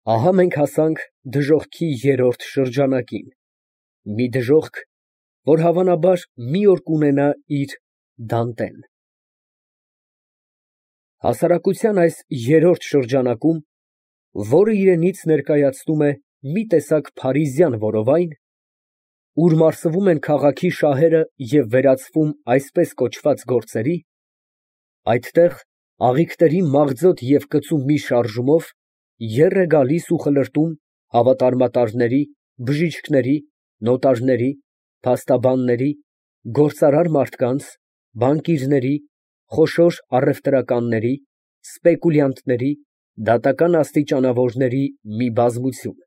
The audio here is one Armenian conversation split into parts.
Ահա մենք հասանք դժոխքի երրորդ շրջանակին, մի դժոխք, որ հավանաբար մի օր կունենա իր Դանտեն։ Հասարակության այս երրորդ շրջանակում, որը իրենից ներկայացնում է մի տեսակ փարիզյան որովայն, ուր մարսվում են քաղաքի շահերը և վերածվում այսպես կոչված գործերի, այդտեղ աղիքների մաղձոտ և կծու մի շարժումով եռ է գալիս ու խլրտում հավատարմատարների, բժիշկների, նոտարների, փաստաբանների, գործարար մարդկանց, բանկիրների, խոշոր առևտրականների, սպեկուլյանտների, դատական աստիճանավորների մի բազմություն։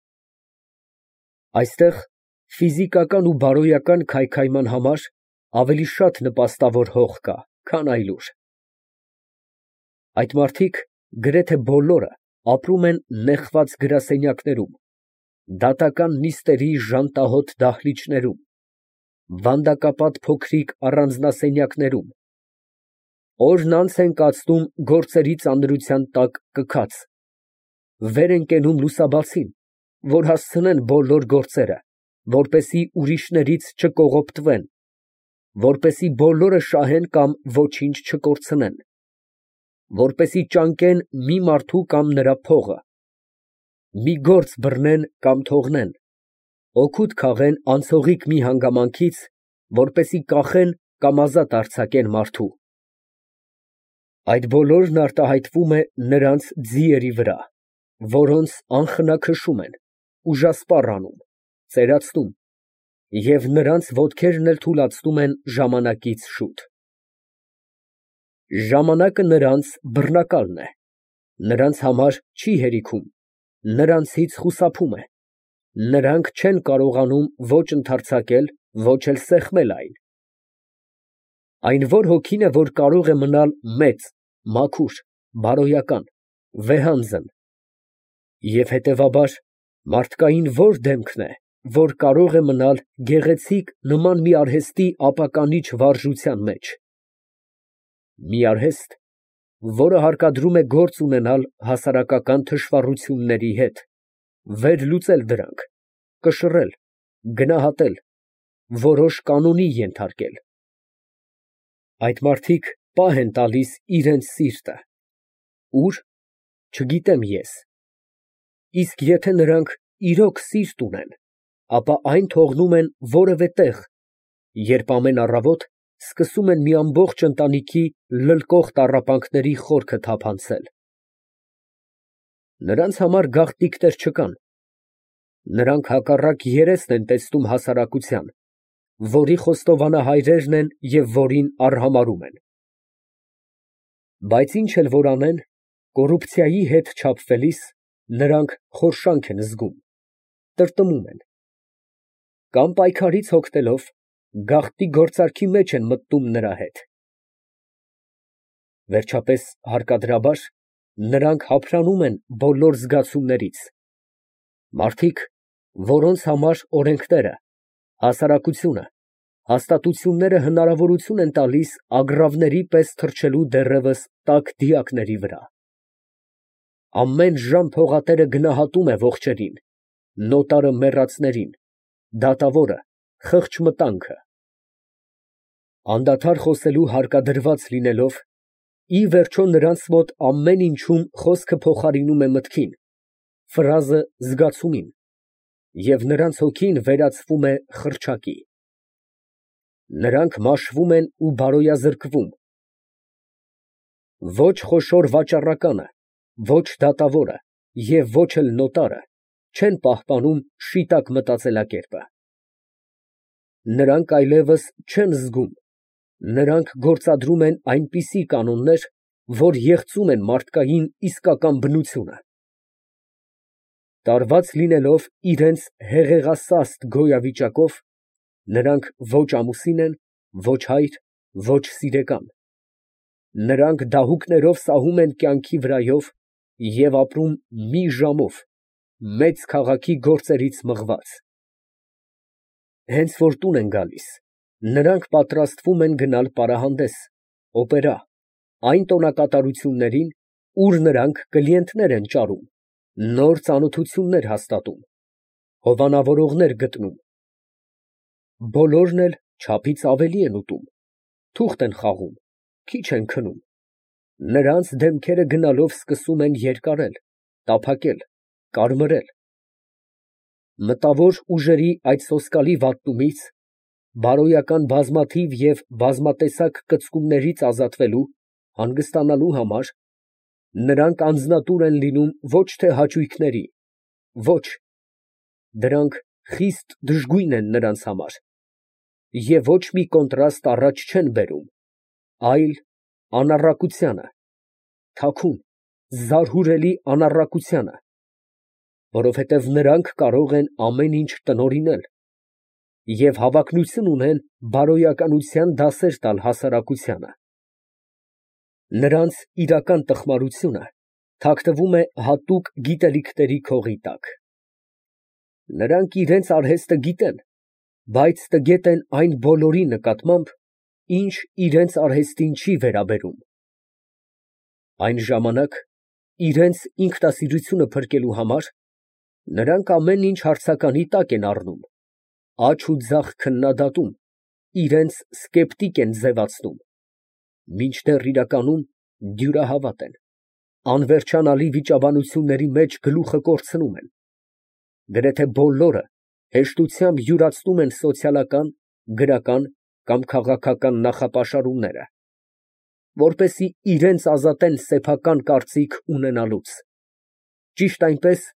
Այստեղ ֆիզիկական ու բարոյական քայքայման համար ավելի շատ նպաստավոր հող կա, քան այլուր։ Այդ մարդիկ գրեթե բոլորը ապրում են նեխված գրասենյակներում, դատական նիստերի ժանտահոտ դահլիճներում, վանդակապատ փոքրիկ առանձնասենյակներում, օրն անց են կացնում գործերի ծանրության տակ կքած, վեր են կենում լուսաբացին, որ հասցնեն բոլոր գործերը, որպեսզի ուրիշներից չկողոպտվեն, որպեսզի բոլորը շահեն կամ ոչինչ չկորցնեն, որպեսզի ճանկեն մի մարդու կամ նրա փողը, մի գործ բռնեն կամ թողնեն, օգուտ քաղեն անցողիկ մի հանգամանքից, որպեսզի կախեն կամ ազատ արձակեն մարդու։ Այդ բոլորն արտահայտվում է նրանց ձիերի վրա, որոնց անխնա քշում են, ուժասպառ անում, ծերացնում և նրանց ոտքերն էլ թուլացնում են ժամանակից շուտ։ Ժամանակը նրանց բռնակալն է, նրանց համար չի հերիքում, նրանցից խուսափում է, նրանք չեն կարողանում ոչ ընդարձակել, ոչ էլ սեղմել այն։ Այն որ հոգին է, որ կարող է մնալ մեծ, մաքուր, բարոյական, վեհանձն, և հետևաբար մարդկային որ դեմքն է, որ կարող է մնալ գեղեցիկ նման մի արհեստի ապականիչ վարժության մեջ։ Մի արհեստ, որը հարկադրում է գործ ունենալ հասարակական թշվառությունների հետ, վերլուծել դրանք, կշռել, գնահատել, որոշ կանոնի ենթարկել։ Այդ մարդիկ պահ են տալիս իրենց սիրտը, ուր, չգիտեմ ես, իսկ եթե նրանք իրոք սիրտ ունեն, ապա այն թողնում են որևէ տեղ, երբ ամեն առավոտ սկսում են մի ամբողջ ընտանիքի լլկող տառապանքների խորքը թափանցել։ Նրանց համար գաղտնիքներ չկան, նրանք հակառակ երեսն են տեսնում հասարակության, որի խոստովանահայրերն են և որին արհամարհում են։ Բայց ինչ էլ որ անեն, կոռուպցիայի հետ չափվելիս, նրանք խորշանք են զգում, տրտմում են, կամ պայքարից հոգնելով, գաղտնի գործարքի մեջ են մտնում նրա հետ։ Վերջապես, հարկադրաբար, նրանք հափրանում են բոլոր զգացումներից, մարդիկ, որոնց համար օրենքները, հասարակությունը, հաստատությունները հնարավորություն են տալիս ագռավների պես թռչելու դեռևս տաք դիակների վրա։ Ամեն ժամ փողատերը գնահատում է ողջերին, նոտարը մեռածներին, դատավորը խղճ մտանքը։ Անդադար խոսելու հարկադրված լինելով, ի վերջո նրանց մոտ ամեն ինչում խոսքը փոխարինում է մտքին, ֆրազը զգացումին, և նրանց հոգին վերածվում է խրճակի։ Նրանք մաշվում են ու բարոյազրկվում։ Ոչ խոշոր վաճառականը, ոչ դատավորը և ոչ էլ նոտարը չեն պահպանում շիտակ մտածելակերպը։ Նրանք այլևս չեն զգում, նրանք գործադրում են այնպիսի կանոններ, որ եղծում են մարդկային իսկական բնությունը։ Տարված լինելով իրենց հեղեղասաստ գոյավիճակով, նրանք ոչ ամուսին են, ոչ հայր, ոչ սիրեկան։ Նրանք դահուկներով սահում են կյանքի վրայով և ապրում մի ժամով, մեծ քաղաքի գործերից մղված։ Հենց որ տուն են գալիս, նրանք պատրաստվում են գնալ պարահանդես, օպերա, այն տոնակատարություններին, ուր նրանք կլիենտներ են ճարում, նոր ծանոթություններ հաստատում, հովանավորողներ գտնում, բոլորն էլ չափից ավելի են ուտում, թուղթ են խաղում, քիչ են քնում, նրանց դեմքերը գնալով սկսում են երկարել, տափակել, կարմրել, մտավոր ուժերի այդ սոսկալի վատնումից, բարոյական բազմաթիվ և բազմատեսակ կծկումներից ազատվելու, հանգստանալու համար, նրանք անձնատուր են լինում ոչ թե հաճույքների, ոչ, դրանք խիստ դժգույն են նրանց համար, և ոչ մի կոնտրաստ առաջ չեն բերում, այլ անառակությանը, թաքուն, զարհուրելի անառակությանը, որովհետև նրանք կարող են ամեն ինչ տնօրինել և հավակնություն ունեն բարոյականության դասեր տալ հասարակությանը։ Նրանց իրական տխմարությունը թաքնվում է հատուկ գիտելիքների քողի տակ։ Նրանք իրենց արհեստը գիտեն, բայց տգետ են այն բոլորի նկատմամբ, ինչ իրենց արհեստին չի վերաբերում։ Այն ժամանակ, իրենց ինքնասիրությունը փրկելու համար, նրանք ամեն ինչ հարցականի տակ են առնում, աջ ու ձախ քննադատում, իրենց սկեպտիկ են ձևացնում, մինչդեռ իրականում դյուրահավատ են, անվերջանալի վիճաբանությունների մեջ գլուխը կորցնում են, գրեթե բոլորը հեշտությամբ յուրացնում են սոցիալական, գրական կամ քաղաքական նախապաշարումները, որպեսզի իրենց ազատեն սեփական կարծիք ունենալուց, ճիշտ այնպես,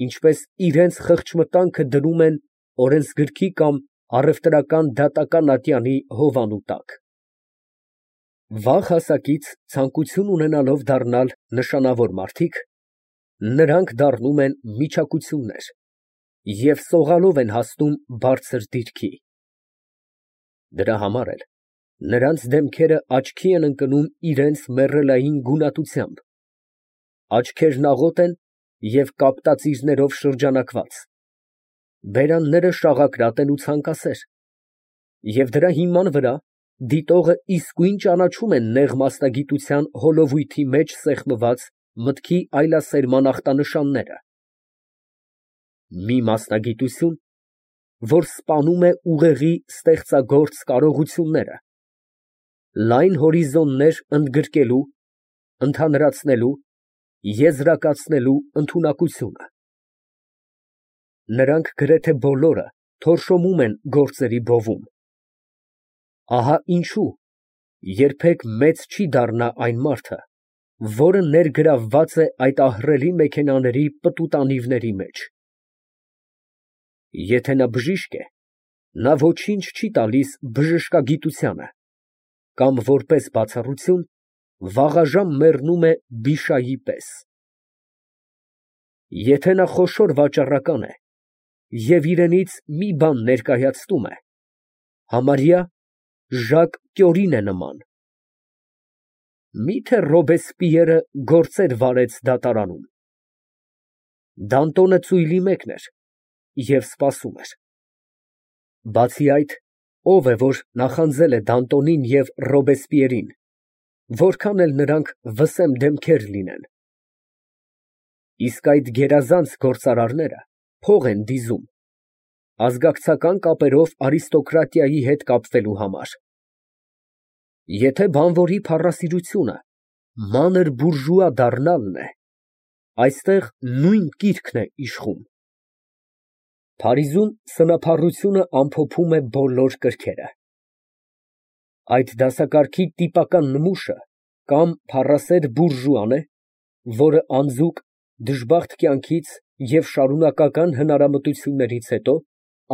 ինչպես իրենց խղճմտանքը դնում են օրենսգրքի կամ առևտրական դատական ատյանի հովանու տակ։ Վաղ հասակից ցանկություն ունենալով դառնալ նշանավոր մարդիկ, նրանք դառնում են միջակություններ և սողալով են հասնում բարձր դիրքի։ Դրա համար էլ նրանց դեմքերը աչքի են ընկնում իրենց մեռելային գունատությամբ, աչքերն աղոտ են և կապտածիրներով շրջանակված, բերանները շաղակրատ են ու ցանկասեր, և դրա հիման վրա դիտողը իսկույն ճանաչում է նեղ մասնագիտության հոլովույթի մեջ սեղմված մտքի այլասերման ախտանշանները։ Մի մասնագիտություն, որ սպանում է ուղեղի ստեղծագործ կարողությունները, լայն հորիզոններ ընդգրկելու, ընդհանրացնելու, եզրակացնելու ընդունակությունը։ Նրանք գրեթե բոլորը թորշոմում են գործերի բովում։ Ահա ինչու երբեք մեծ չի դառնա այն մարդը, որը ներգրավված է այդ ահռելի մեքենաների պտուտանիվների մեջ։ Եթե նա բժիշկ է, նա ոչինչ չի տալիս բժշկագիտությանը, կամ որպես բացառություն, վաղաժամ մեռնում է բիշայի պես։ Եթե նա խոշոր վաճառական է և իրենից մի բան ներկայացնում է, համարյա Ժակ Կյորին է նման։ Մի՞թե Ռոբեսպիերը գործեր վարեց դատարանում։ Դանտոնը ծույլի մեկն էր և սպասում էր։ Բացի այդ, ո՞վ է, որ նախանձել է Դանտոնին և Ռոբեսպիերին, որքան էլ նրանք վսեմ դեմքեր լինեն։ Իսկ այդ գերազանց գործարարները փող են դիզում, ազգակցական կապերով արիստոկրատիայի հետ կապվելու համար։ Եթե բանվորի փառասիրությունը մանր բուրժուա դառնալն է, այստեղ նույն կիրքն է իշխում։ Փարիզում սնափառությունը ամփոփում է բոլոր կրքերը։ Այդ դասակարգի տիպական նմուշը կամ փառասեր բուրժուան է, որը անձուկ, դժբախտ կյանքից և շարունակական հնարամտություններից հետո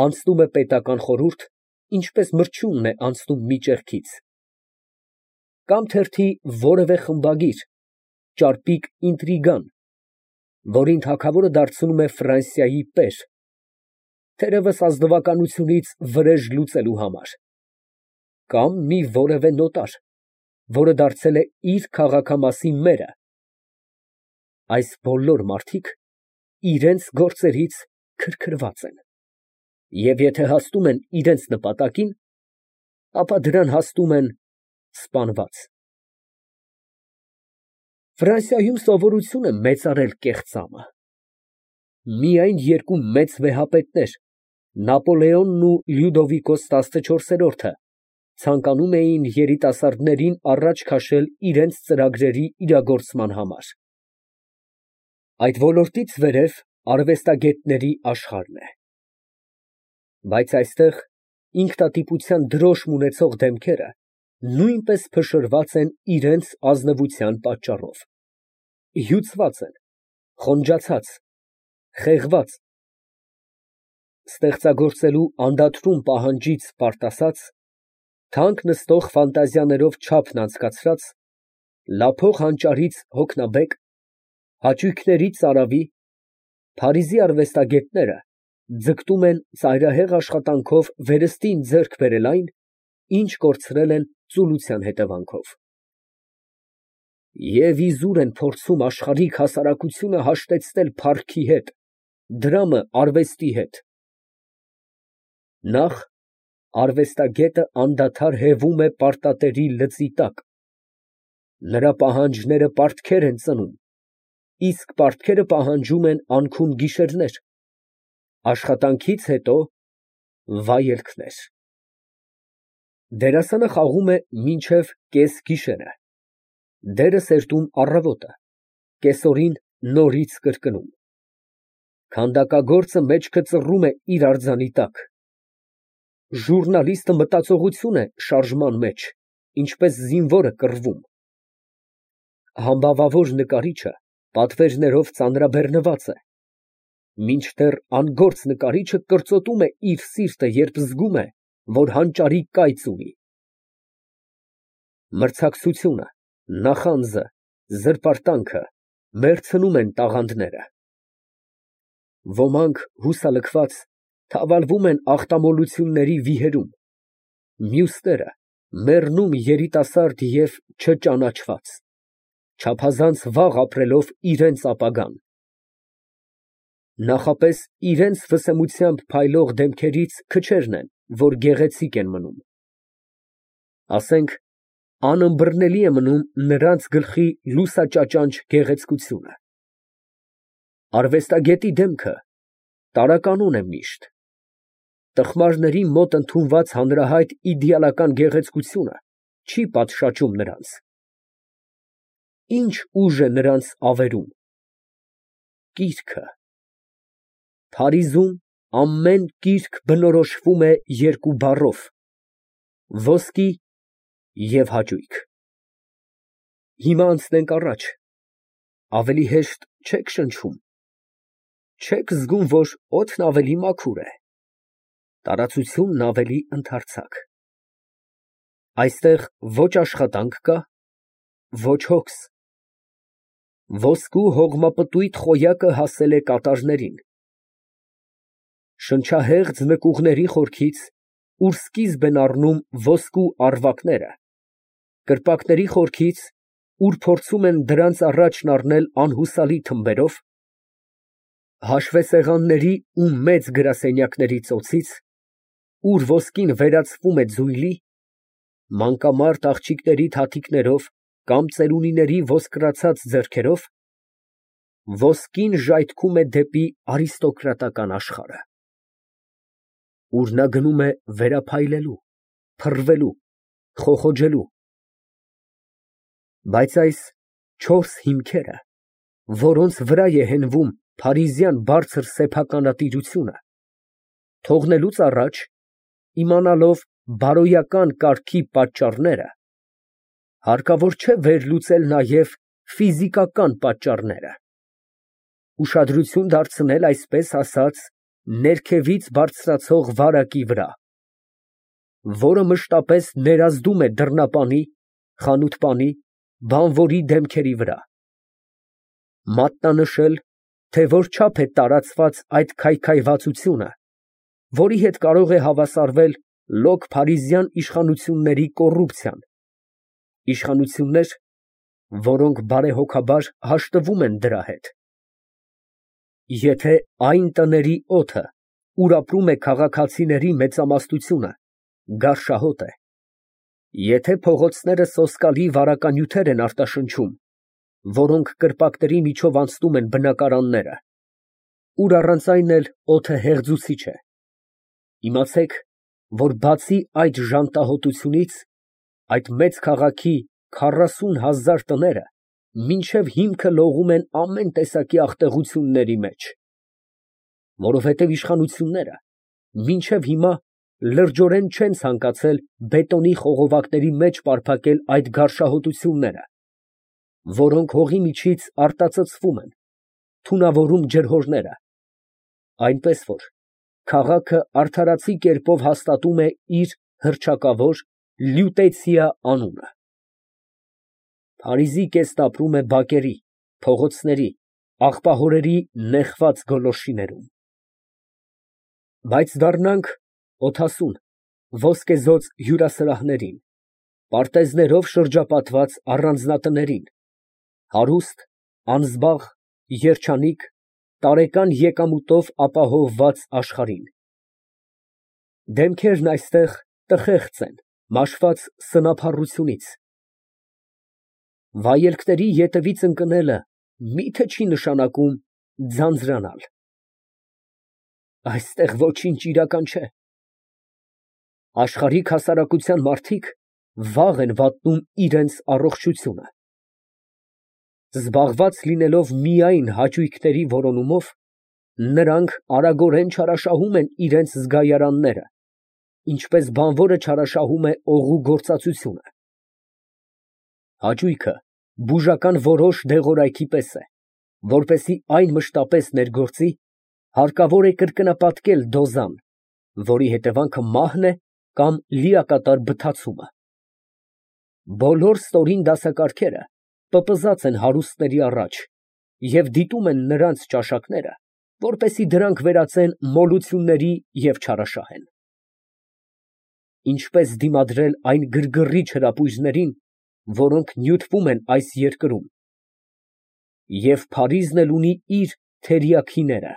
անցնում է պետական խորհուրդ, ինչպես մրջյունն է անցնում մի ճեղքից, կամ թերթի որևէ խմբագիր, ճարպիկ ինտրիգան, որին թագավորը դարձնում է Ֆրանսիայի պեր, թերևս ազնվականությունից վրեժ լուծելու համար, կամ մի որևէ նոտար, որը դարձել է իր քաղաքամասի մերը։ Այս բոլոր մարդիկ իրենց գործերից քրքրված են, և եթե հասնում են իրենց նպատակին, ապա դրան հասնում են սպանված։ Ֆրանսիայում սովորություն է մեծարել կեղծամը, Միայն երկու մեծ վեհապետներ, Նապոլեոնն ու Լյուդովիկոս 14-րդը, ցանկանում էին երիտասարդներին առաջ քաշել իրենց ծրագրերի իրագործման համար։ Այդ ոլորտից վերև արվեստագետների աշխարհն է։ Բայց այստեղ ինքնատիպության դրոշմ ունեցող դեմքերը նույնպես փշրված են իրենց ազնվության պատճառով, հյուծված են, խոնջացած, խեղված, ստեղծագործելու անդադրուն պահանջից պարտասած, թանկ նստող ֆանտազիաներով չափն անցկացրած, լափող հանճարից հոգնաբեկ, հաճույքների ծարավի, Փարիզի արվեստագետները ձգտում են ծայրահեղ աշխատանքով վերստին ձեռք բերել այն, ինչ կորցրել են ծուլության հետևանքով։ Եվ իզուր են փորձում աշխարհիկ հասարակությունը հաշտեցնել փառքի հետ, դրամը արվեստի հետ։ Նախ արվեստագետը անդադար հևում է պարտատերի լծի տակ, նրա պահանջները պարտքեր են ծնում, իսկ պարտքերը պահանջում են անքուն գիշերներ, աշխատանքից հետո վայելքներ։ Դերասանը խաղում է մինչև կես գիշերը, դերը սերտում առավոտը, կեսօրին նորից կրկնում։ Քանդակագործը մեջքը ծռում է իր արձանի տակ, ժուռնալիստը մտածողություն է շարժման մեջ, ինչպես զինվորը կռվում, համբավավոր նկարիչը պատվերներով ծանրաբեռնված է, մինչդեռ անգործ նկարիչը կրծոտում է իր սիրտը, երբ զգում է, որ հանճարի կայծ ունի։ Մրցակցությունը, նախանձը, զրպարտանքը մեռցնում են տաղանդները։ Ոմանք հուսալքված թավալվում են ախտամոլությունների վիհերում, մյուսները մեռնում երիտասարդ և չճանաչված, չափազանց վաղ ապրելով իրենց ապագան։ Նախապես իրենց վսեմությամբ փայլող դեմքերից քչերն են, որ գեղեցիկ են մնում։ Ասենք, անըմբռնելի է մնում նրանց գլխի լուսաճաճանճ գեղեցկությունը։ Արվեստագետի դեմքը տարականոն է միշտ։ Տխմարների մոտ ընդունված հանրահայտ իդեալական գեղեցկությունը չի պատշաճում նրանց։ Ինչ ուժ է նրանց ավերում։ Կիրքը։ Փարիզում ամեն կիրք բնորոշվում է երկու բառով՝ ոսկի և հաճույք։ Հիմա անցնենք առաջ, ավելի հեշտ չե՞ք շնչում, չե՞ք զգում, որ օդն ավելի մաքուր է, տարածությունն ավելի ընդարձակ։ Այստեղ ոչ աշխատանք կա, ոչ հոգս։ Ոսկու հողմապտույտ խոյակը հասել է կատարներին։ Շնչահեղձ նկուղների խորքից, ուր սկիզբ են առնում ոսկու առվակները, կրպակների խորքից, ուր փորձում են դրանց առաջն առնել անհուսալի թմբերով, հաշվեսեղանների ու մեծ գրասենյակների ծոցից, ուր ոսկին վերածվում է ձույլի, մանկամարտ աղջիկների թաթիկներով կամ ծերունիների ոսկրացած ձեռքերով, ոսկին ժայթքում է դեպի արիստոկրատական աշխարհը, ուր նա գնում է վերափայլելու, փռվելու, խոխոջելու։ Բայց այս չորս հիմքերը, որոնց վրա է հենվում փարիզյան բարձր սեփականատիրությունը, թողնելուց առաջ, իմանալով բարոյական կարգի պատճառները, հարկավոր չէ վերլուծել նաև ֆիզիկական պատճառները, ուշադրություն դարձնել, այսպես ասած, ներքևից բարձրացող վարակի վրա, որը մշտապես ներազդում է դռնապանի, խանութպանի, բանվորի դեմքերի վրա, մատնանշել, թե որչափ է տարածված այդ քայքայվածությունը, որի հետ կարող է հավասարվել լոկ փարիզյան իշխանությունների կոռուպցիան, իշխանություններ, որոնք բարեհոգաբար հաշտվում են դրա հետ։ Եթե այն տների օդը, ուր ապրում է քաղաքացիների մեծամասնությունը, գարշահոտ է, եթե փողոցները սոսկալի վարականյութեր են արտաշնչում, որոնք կրպակների միջով անցնում են բնակարանները, ուր առանց այն էլ օդը հեղձուցիչ է։ Իմացեք, որ բացի այդ ժանտահոտությունից, այդ մեծ քաղաքի 40,000 տները մինչև հիմքը լողում են ամեն տեսակի աղտեղությունների մեջ, որովհետև իշխանությունները մինչև հիմա լրջորեն չեն ցանկացել բետոնի խողովակների մեջ պարփակել այդ գարշահոտությունները, որոնք հողի միջից արտածծվում են, թունավորում ջրհորները, այնպես որ քաղաքը արդարացի կերպով հաստատում է իր հռչակավոր Լյուտեցիա անունը։ Փարիզի կեսն ապրում է բակերի, փողոցների, աղբահորերի նեխված գոլորշիներում։ Բայց դառնանք օդասուն, ոսկեզօծ հյուրասրահներին, պարտեզներով շրջապատված առանձնատներին, հարուստ, անզբաղ, երջանիկ, տարեկան եկամուտով ապահովված աշխարհին։ Դեմքերն այստեղ տխեղծ են, մաշված սնափառությունից։ Վայելքների ետևից ընկնելը մի՞թե չի նշանակում ձանձրանալ։ Այստեղ ոչինչ իրական չէ։ Աշխարհիկ հասարակության մարդիկ վաղ են վատնում իրենց առողջությունը։ Զբաղված լինելով միայն հաճույքների որոնումով, նրանք արագորեն չարաշահում են իրենց զգայարանները, ինչպես բանվորը չարաշահում է օղու գործածությունը։ Հաճույքը բուժական որոշ դեղորայքի պես է, որպեսզի այն մշտապես ներգործի, հարկավոր է կրկնապատկել դոզան, որի հետևանքը մահն է կամ լիակատար բթացումը։ Բոլոր ստորին դասակարգերը պպզած են հարուստների առաջ և դիտում են նրանց ճաշակները, որպեսզի դրանք վերածեն մոլությունների և չարաշահեն։ Ինչպես դիմադրել այն գրգռիչ հրապույրներին, որոնք նյութվում են այս երկրում, և Փարիզն էլ ունի իր թերիաքիները,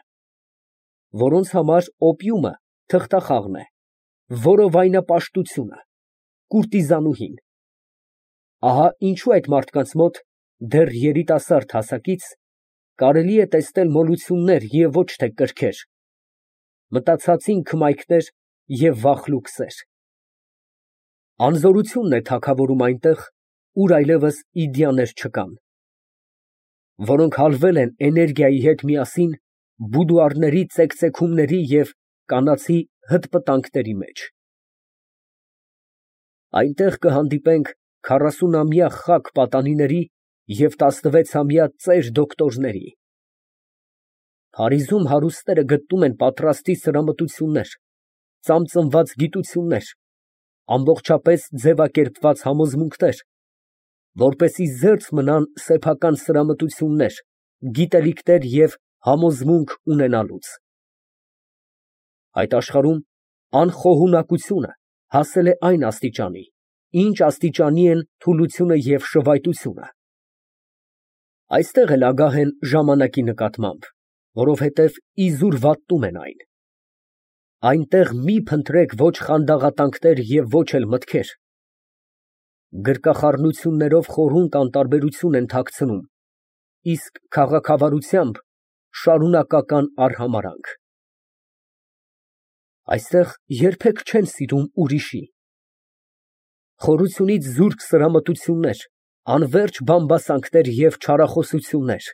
որոնց համար օպիումը թղթախաղն է, որովայնը պաշտությունը, կուրտիզանուհին։ Ահա ինչու այդ մարդկանց մոտ դեռ երիտասարդ հասակից կարելի է տեսնել մոլություններ և ոչ թե կրքեր, մտածածին քմայքներ և վախլուկ սեր։ Անզորությունն է թագավորում այնտեղ, ուր այլևս իդեաներ չկան, որոնք հալվել են էներգիայի հետ միասին բուդուարների ծեքծեքումների և կանացի հտպտանքների մեջ։ Այնտեղ կհանդիպենք 40-ամյա խակ պատանիների և 16-ամյա ծեր դոկտորների։ Փարիզում հարուստները գտնում են պատրաստի սրամտություններ, ծամծմված գիտություններ, ամբողջապես ձևակերպված համոզմունքներ, որպեսզի զերծ մնան սեփական սրամտություններ, գիտելիքներ և համոզմունք ունենալուց։ Այդ աշխարհում անխոհունակությունը հասել է այն աստիճանի, ինչ աստիճանի են թուլությունը և շվայտությունը։ Այստեղ էլ ագահ են ժամանակի նկատմամբ, որովհետև իզուր վատնում են այն։ Այնտեղ մի փնտրեք ոչ խանդաղատանքներ և ոչ էլ մտքեր։ Գրկախառնություններով խորհունկ անտարբերություն են թաքցնում, իսկ քաղաքավարությամբ շարունակական արհամարհանք։ Այստեղ երբեք չեն սիրում ուրիշի։ Խորությունից զուրկ սրամտություններ, անվերջ բամբասանքներ և չարախոսություններ,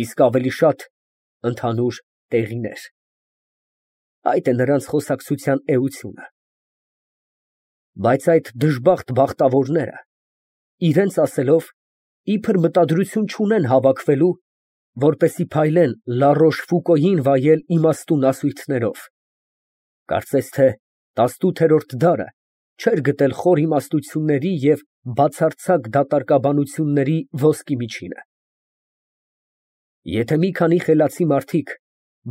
իսկ ավելի շատ ընդհանուր տեղիներ։ Այդ է նրանց խոսակցության էությունը։ Բայց այդ դժբախտ բախտավորները, իրենց ասելով, իբր մտադրություն չունեն հավաքվելու, որպեսզի փայլեն Լա Ռոշֆուկոյին վայել իմաստուն ասույթներով, կարծես թե 18-րդ դարը չէր գտել խոր իմաստությունների և բացարձակ դատարկաբանությունների ոսկի միջինը։ Եթե մի քանի խելացի մարդիկ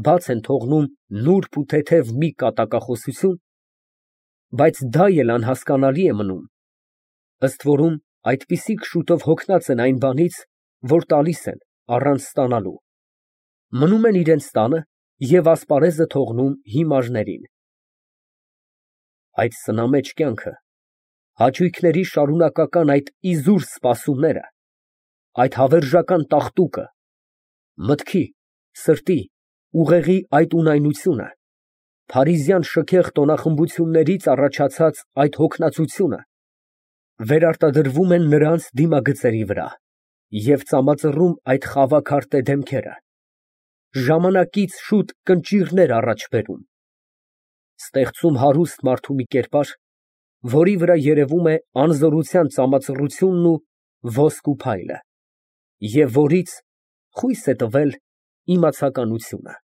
բաց են թողնում նուրբ ու թեթև մի կատակախոսություն, բայց դա էլ անհասկանալի է մնում, ըստ որում այդպիսիք շուտով հոգնած են այն բանից, որ տալիս են առանց ստանալու, մնում են իրենց տանը և ասպարեզը թողնում հիմարներին։ Այդ սնամեջ կյանքը, հաճույքների շարունակական այդ իզուր սպասումները, այդ հավերժական տաղտուկը, մտքի, սրտի, ուղեղի այդ ունայնությունը, փարիզյան շքեղ տոնախմբություններից առաջացած այդ հոգնածությունը վերարտադրվում են նրանց դիմագծերի վրա և ծամածռում այդ խավաքարտե դեմքերը, ժամանակից շուտ կնճիռներ առաջ բերում, ստեղծում հարուստ մարդու մի կերպար, որի վրա երևում է անզորության ծամածռությունն ու ոսկու փայլը, և որից խույս է տվել իմացականությունը։